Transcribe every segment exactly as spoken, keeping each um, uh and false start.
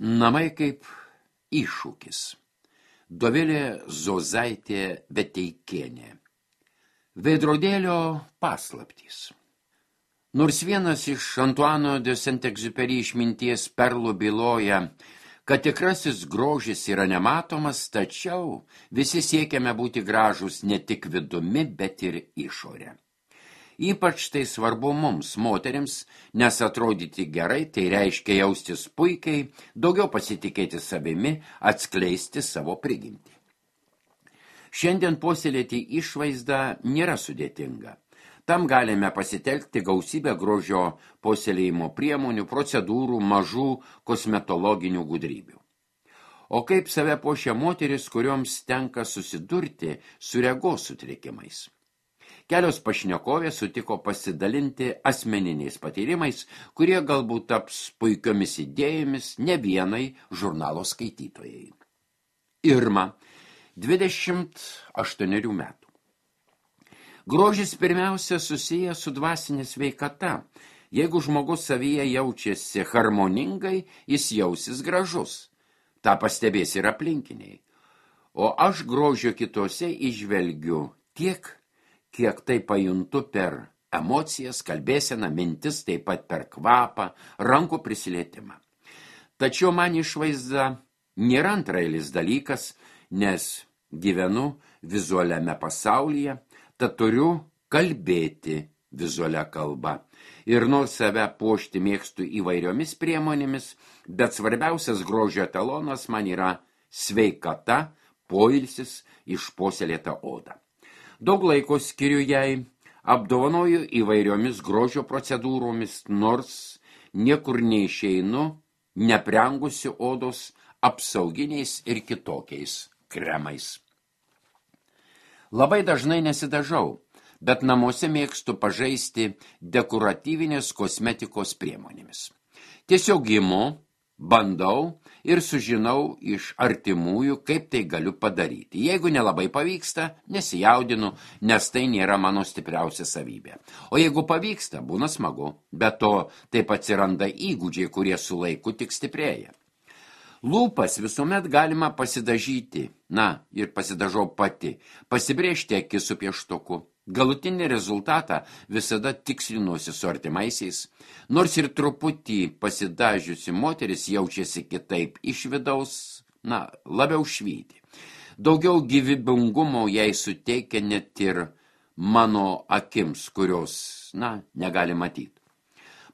Namai kaip iššūkis. Dovilė Zozaitė Veteikienė. Veidrodėlio paslaptys. Nors vienas iš Antuano de Saint-Exupéry išminties perlų byloja, kad tikrasis grožis yra nematomas, tačiau visi siekiame būti gražūs ne tik vidumi, bet ir išorę. Ypač tai svarbu mums, moterims, nes atrodyti gerai, tai reiškia jaustis puikiai, daugiau pasitikėti savimi, atskleisti savo prigimtį. Šiandien puoselėti išvaizdą nėra sudėtinga. Tam galime pasitelkti gausybę grožio puoselėjimo priemonių, procedūrų, mažų kosmetologinių gudrybių. O kaip save puošia moteris, kurioms tenka susidurti su regos sutrikimais? Kelios pašnekovės sutiko pasidalinti asmeniniais patyrimais, kurie galbūt taps puikiomis idėjomis ne vienai žurnalo skaitytojai. Irma, dvidešimt aštuonerių metų. Grožis pirmiausia susijęs su dvasinė sveikata. Jeigu žmogus savyje jaučiasi harmoningai, jis jausis gražus. Ta pastebės ir aplinkiniai. O aš grožio kitose įžvelgiu tiek, kiek tai pajuntu per emocijas, kalbėseną, mintis, taip pat per kvapą, rankų prisilietimą. Tačiau man išvaizda nėra antrailis dalykas, nes gyvenu vizualiame pasaulyje, tad turiu kalbėti vizualia kalba. Ir nors save puošti mėgstu įvairiomis priemonėmis, bet svarbiausias grožio etalonas man yra sveikata, poilsis, išpuoselėta oda. Daug laiko skiriu jai, apdovanoju įvairiomis grožio procedūromis, nors niekur neišeinu, neprengusiu odos apsauginiais ir kitokiais kremais. Labai dažnai nesidažau, bet namuose mėgstu pažaisti dekoratyvinės kosmetikos priemonėmis. Tiesiog imu, bandau ir sužinau iš artimųjų, kaip tai galiu padaryti. Jeigu nelabai pavyksta, nesijaudinu, nes tai nėra mano stipriausia savybė. O jeigu pavyksta, būna smagu. Be to, taip atsiranda įgūdžiai, kurie su laiku tik stiprėja. Lūpas visuomet galima pasidažyti, na, ir pasidažau pati, pasibrėžti akis su pieštuku. Galutinį rezultatą visada tikslinuosi su artimaisiais, nors ir truputį pasidažiusi moteris jaučiasi kitaip iš vidaus, na, labiau švyti. Daugiau gyvybingumo jai suteikia net ir mano akims, kurios, na, negali matyti.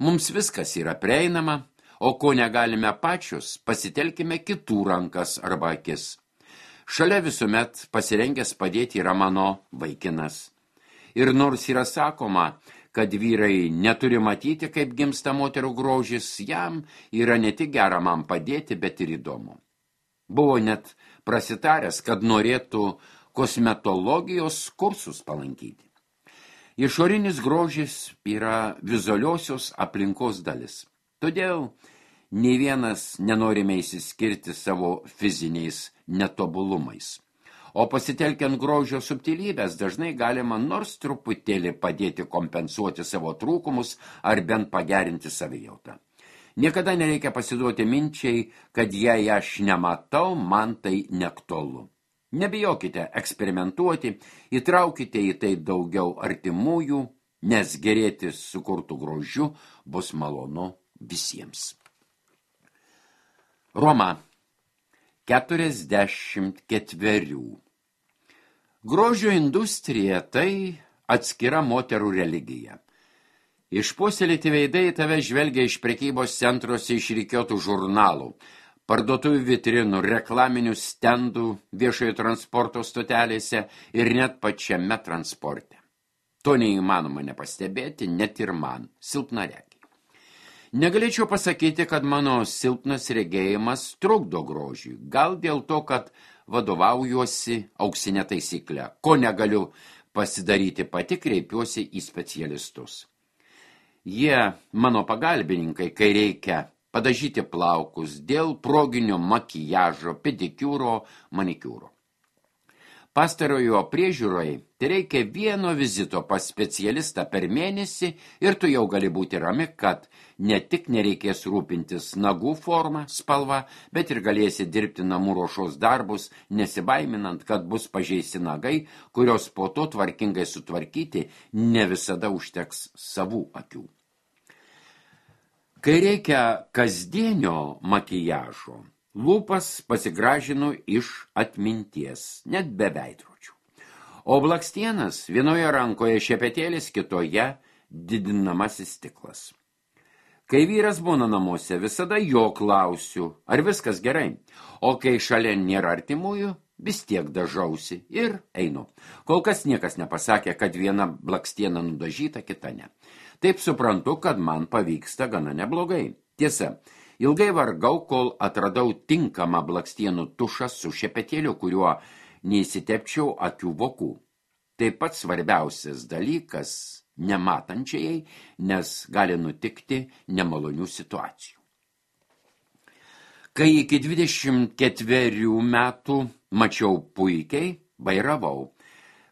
Mums viskas yra prieinama, o ko negalime pačius, pasitelkime kitų rankas arba akis. Šalia visuomet pasirengęs padėti yra mano vaikinas. Ir nors yra sakoma, kad vyrai neturi matyti, kaip gimsta moterų grožis, jam yra ne tik gera man padėti, bet ir įdomu. Buvo net prasitaręs, kad norėtų kosmetologijos kursus palankyti. Išorinis grožis yra vizualiosios aplinkos dalis. Todėl nei vienas nenorime įsiskirti savo fiziniais netobulumais. O pasitelkiant grožio subtilybės dažnai galima nors truputėlį padėti kompensuoti savo trūkumus ar bent pagerinti savijautą. Niekada nereikia pasiduoti minčiai, kad jei aš nematau, man tai neaktualu. Nebijokite eksperimentuoti, įtraukite į tai daugiau artimųjų, nes gerėti sukurtų grožiu bus malonu visiems. Roma, keturiasdešimt ketverių. Grožio industrija tai atskira moterų religija. Išpuoselėti veidai tave žvelgia iš prekybos centruose išrikiuotų žurnalų, parduotuvių vitrinų, reklaminių stendų, viešojo transporto stotelėse ir net pačiame transporte. To neįmanoma nepastebėti, net ir man, silpnaregiai. Negalėčiau pasakyti, kad mano silpnas regėjimas trukdo grožiui, gal dėl to, kad vadovaujuosi auksinę taisyklę. Ko negaliu pasidaryti pati, kreipiuosi į specialistus. Jie mano pagalbininkai, kai reikia padažyti plaukus dėl proginio makijažo, pedikiūro, manikiūro. Pastarojo priežiūroje tai reikia vieno vizito pas specialistą per mėnesį ir tu jau gali būti rami, kad ne tik nereikės rūpintis nagų forma, spalva, bet ir galėsi dirbti namų ruošos darbus, nesibaiminant, kad bus pažeisti nagai, kurios po to tvarkingai sutvarkyti ne visada užteks savų akių. Kai reikia kasdienio makijažo, lūpas pasigražinu iš atminties, net be veidrodžių. O blakstienas vienoje rankoje šepetėlis, kitoje didinamasis stiklas. Kai vyras būna namuose, visada jo klausiu, ar viskas gerai, o kai šalia nėra artimųjų, vis tiek dažausi ir einu. Kol kas niekas nepasakė, kad viena blakstiena nudažyta, kita ne. Taip suprantu, kad man pavyksta gana neblogai. Tiesa, ilgai vargau, kol atradau tinkamą blakstienų tušą su šepetėliu, kuriuo neįsitepčiau akių vokų. Taip pat svarbiausias dalykas nematančiai, nes gali nutikti nemalonių situacijų. Kai iki dvidešimt ketverių metų mačiau puikiai, vairavau.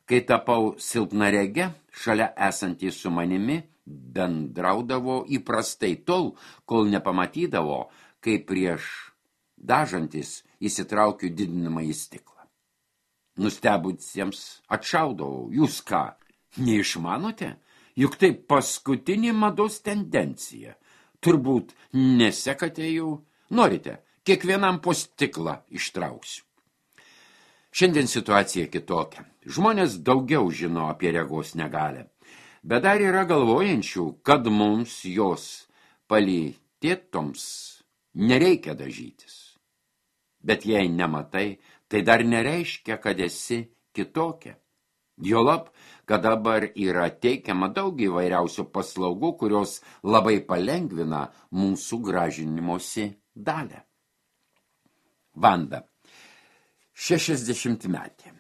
Kai tapau silpnarege, šalia esantys su manimi bendraudavo įprastai tol, kol nepamatydavo, kai prieš dažantis įsitraukiu didinamą į stiklą. Nustebusiems atšaudavau, jūs ką, neišmanote? Juk tai paskutinė mados tendencija. Turbūt nesekate jau, norite, kiekvienam po stiklą ištrauksiu. Šiandien situacija kitokia. Žmonės daugiau žino apie regos negalią. Bet dar yra galvojančių, kad mums jos palytėtoms nereikia dažytis. Bet jei nematai, tai dar nereiškia, kad esi kitokia. Juolab, kad dabar yra teikiama daug įvairiausių paslaugų, kurios labai palengvina mūsų gražinimosi dalę. Vanda, šešiasdešimtmetė.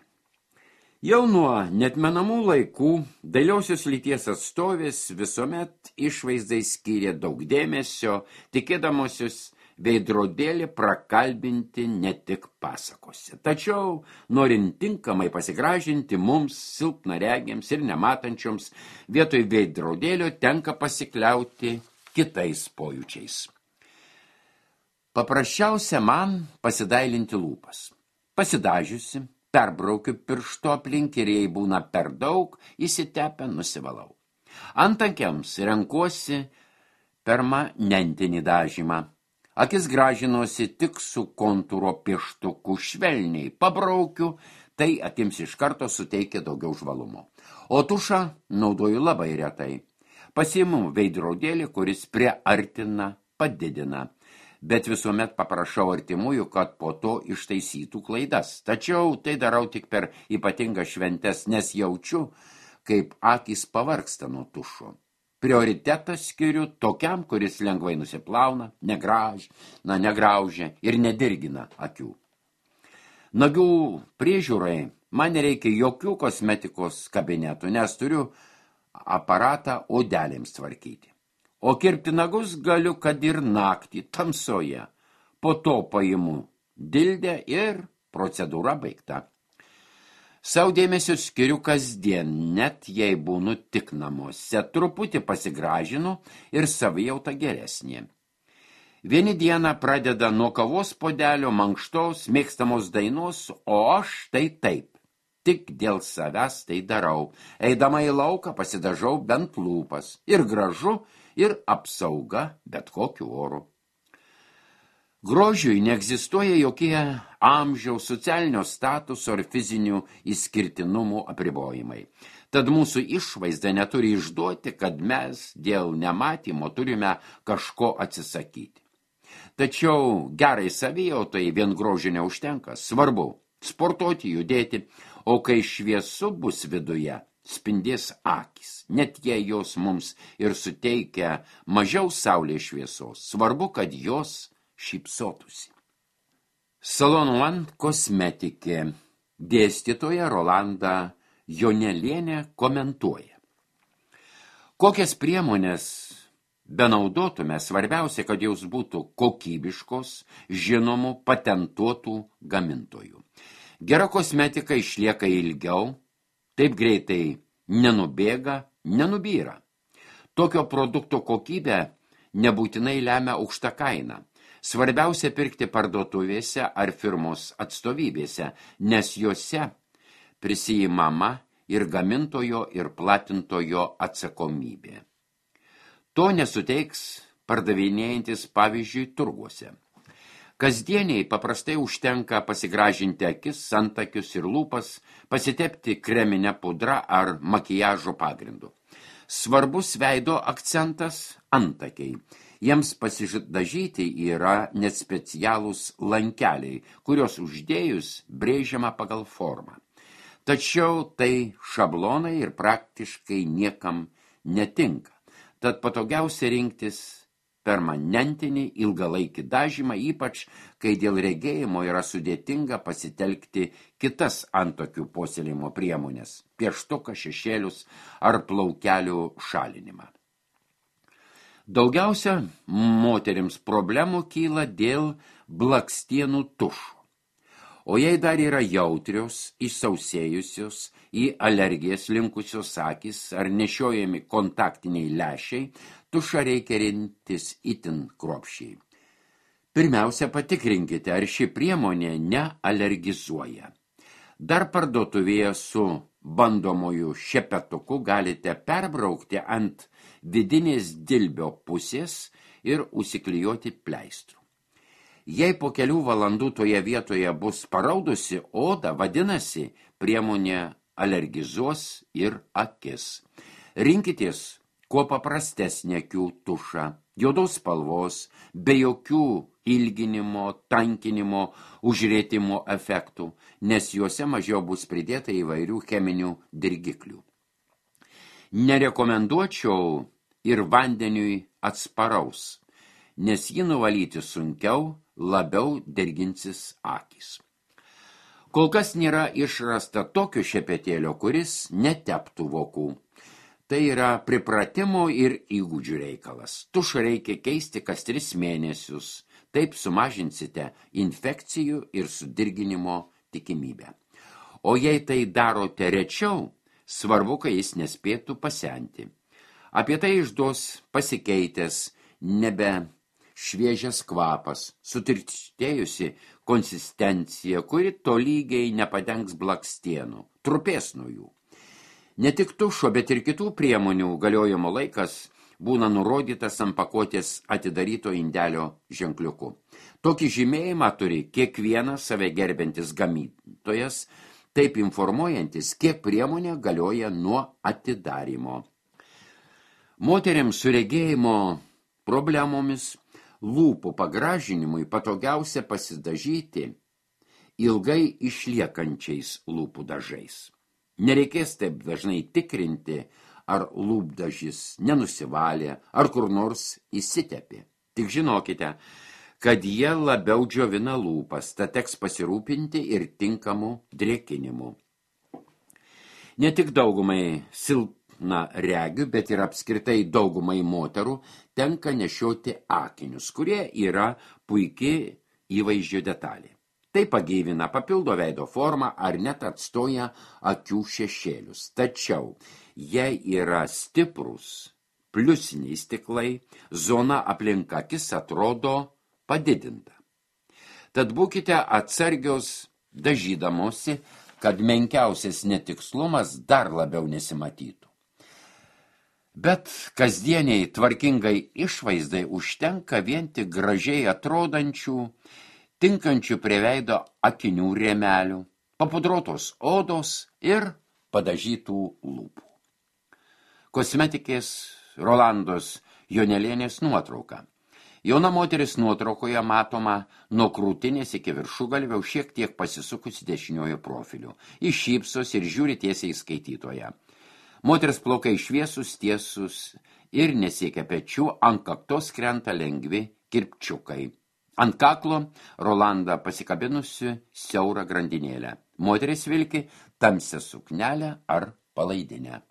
Jau nuo netmenamų laikų dailiosios lyties atstovės visuomet išvaizdai skyrė daug dėmesio, tikėdamosios veidrodėlį prakalbinti ne tik pasakose. Tačiau, norint tinkamai pasigražinti mums, silpnaregiams ir nematančioms, vietoj veidrodėlio tenka pasikliauti kitais pojūčiais. Paprasčiausia man pasidailinti lūpas. Pasidažiusi, perbraukiu piršto aplink ir jei būna per daug, įsitepę nusivalau. Antakiams renkuosi permanentinį dažymą. Akis gražinuosi tik su kontūro pieštuku švelniai. Pabraukiu, tai akims iš karto suteikia daugiau žvalumo. O tušą naudoju labai retai. Pasiimu veidrodėlį, kuris priartina, padidina. Bet visuomet paprašau artimųjų, kad po to ištaisytų klaidas. Tačiau tai darau tik per ypatingas šventes, nes jaučiu, kaip akys pavargsta nuo tušo. Prioritetą skiriu tokiam, kuris lengvai nusiplauna, negraž, na, negraužia ir nedirgina akių. Nagių priežiūrai man nereikia jokių kosmetikos kabinetų, nes turiu aparatą odelėms tvarkyti. O kirpti nagus galiu, kad ir naktį, tamsoje. Po to paimu dildę ir procedūra baigta. Sau dėmesio skiriu kasdien, net jei būnu tik namuose. Truputį pasigražinu ir savijauta geresnė. Vieni dieną pradeda nuo kavos puodelio, mankštos, mėgstamos dainos, o aš tai taip. Tik dėl savęs tai darau. Eidama į lauką pasidažau bent lūpas. Ir gražu, ir apsauga bet kokiu oru. Grožiui neegzistuoja jokie amžiaus, socialinio statuso ar fizinių išskirtinumų apribojimai. Tad mūsų išvaizda neturi išduoti, kad mes dėl nematymo turime kažko atsisakyti. Tačiau gerai savijautai vien grožio neužtenka. Svarbu sportuoti, judėti, o kai šviesu bus viduje, spindės akys, net jei jos mums ir suteikia mažiau saulės šviesos. Svarbu, kad jos šypsotųsi. Salon One kosmetikė dėstytoja Rolanda Jonelienė komentuoja. Kokias priemonės benaudotume, svarbiausia, kad jos būtų kokybiškos, žinomų, patentuotų gamintojų. Gera kosmetika išlieka ilgiau, taip greitai nenubėga, nenubyra. Tokio produkto kokybę nebūtinai lemia aukšta kaina. Svarbiausia pirkti parduotuvėse ar firmos atstovybėse, nes jose prisijimama ir gamintojo ir platintojo atsakomybė. To nesuteiks pardavinėjantis pavyzdžiui turguose. Kasdieniai paprastai užtenka pasigražinti akis, antakius ir lūpas, pasitepti kreminę pudrą ar makiažo pagrindu. Svarbus veido akcentas – antakiai. Jiems pasidažyti yra net specialūs lankeliai, kurios uždėjus brėžiama pagal formą. Tačiau tai šablonai ir praktiškai niekam netinka. Tad patogiausia rinktis permanentinį ilgalaikį dažymą, ypač kai dėl regėjimo yra sudėtinga pasitelkti kitas antakių puoselėjimo priemonės – pieštuką, šešėlius ar plaukelių šalinimą. Daugiausia moterims problemų kyla dėl blakstienų tušų. O jei dar yra jautrios, išsausėjusios, į alergijas linkusios akys ar nešiojami kontaktiniai lęšiai, tušą reikia rinktis itin kruopščiai. Pirmiausia, patikrinkite, ar ši priemonė nealergizuoja. Dar parduotuvėje su bandomoju šepetuku galite perbraukti ant vidinės dilbio pusės ir užsiklijuoti pleistrų. Jei po kelių valandų toje vietoje bus paraudusi oda, vadinasi, priemonė alergizuos ir akis. Rinkitės kuo paprastesnė akių tušą, juodos spalvos, be jokių ilginimo, tankinimo, užrėtimo efektų, nes juose mažiau bus pridėta įvairių cheminių dirgiklių. Nerekomenduočiau ir vandeniui atsparaus, nes jį nuvalyti sunkiau, labiau derginsis akys. Kol kas nėra išrasta tokio šepetėlio, kuris neteptų vokų. Tai yra pripratimo ir įgūdžių reikalas. Tušą reikia keisti kas tris mėnesius, taip sumažinsite infekcijų ir sudirginimo tikimybę. O jei tai darote rečiau, svarbu, kad jis nespėtų pasenti. Apie tai išduos pasikeitęs nebe šviežias kvapas, sutirštėjusi konsistencija, kuri tolygiai nepadengs blakstienų, trupės nuo jų. Ne tik tušo, bet ir kitų priemonių galiojimo laikas būna nurodytas ant pakuotės atidaryto indelio ženkliuku. Tokį žymėjimą turi kiekvienas save gerbiantis gamintojas, taip informuojantis, kiek priemonė galioja nuo atidarymo. Moteriams su regėjimo problemomis lūpų pagražinimui patogiausia pasidažyti ilgai išliekančiais lūpų dažais. Nereikės taip dažnai tikrinti, ar lūpdažis nenusivalė, ar kur nors įsitepė. Tik žinokite, kad jie labiau džiovina lūpas, tad teks pasirūpinti ir tinkamu drėkinimu. Ne tik daugumai silpna regių, bet ir apskritai daugumai moterų tenka nešioti akinius, kurie yra puikiai įvaizdžio detalė. Tai pagyvina, papildo veido formą ar net atstoja akių šešėlius. Tačiau, jei yra stiprus pliusiniai stiklai, zona aplink akis atrodo padidinta. Tad būkite atsargios dažydamosi, kad menkiausias netikslumas dar labiau nesimatytų. Bet kasdieniai tvarkingai išvaizdai užtenka vien tik gražiai atrodančių, tinkančių prie veido akinių rėmelių, papudruotos odos ir padažytų lūpų. Kosmetikės Rolandos Jonelienės nuotrauka. Jauna moteris nuotraukoje matoma nuo krūtinės iki viršugalvio šiek tiek pasisukusi dešiniojo profiliu. Jis šypsos ir žiūri tiesiai į skaitytoją. Moters plaukai šviesus, tiesus ir nesiekia pečių, ant kaktos krenta lengvi kirpčiukai. Ant kaklo Rolanda pasikabinusi siaurą grandinėlę. Moteris vilki tamsią suknelę ar palaidinę.